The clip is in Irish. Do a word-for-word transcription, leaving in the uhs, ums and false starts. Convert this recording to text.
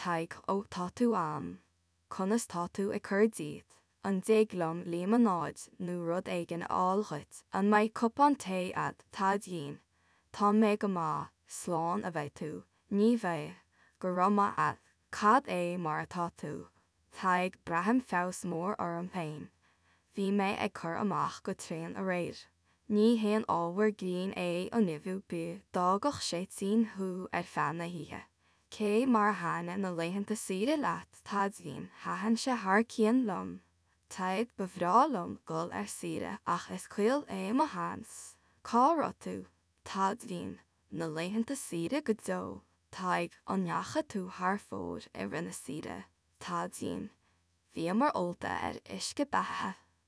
Tadhg, Ó, tá tú ann. Conas tá tú ag cur díot? An dtig liom líomanáid nó rud éigin a fháil dhuit? An mbeidh cupán tae a'd? Tadhgín, Tá mé go maith, slán a bheidh tú. Ní bheidh, go raibh maith a'd. Cad é mar atá tú? Tadhg, Braithim feabhas mór orm féin. Bhí mé ag cur amach go tréan aréir. Ní haon ábhar grinn é an nimhiú bídh, d'fhágfadh sé tinn thú ar feadh na hoíche. Cé mar a thaitnigh na laethanta saoire leat? Tadhgín, Thaitin sé thar cionn liom. Tadhg, Ba bhreá liom dul ar saoire ach is caol é mo sheans. Cá raibh tú? Tadhgín, Na laethanta saoire go deo. Tadhg, An ndeachaigh tú thar fóir i rith na saoire? Tadhgín, Bhíomar ólta ar uisce beatha.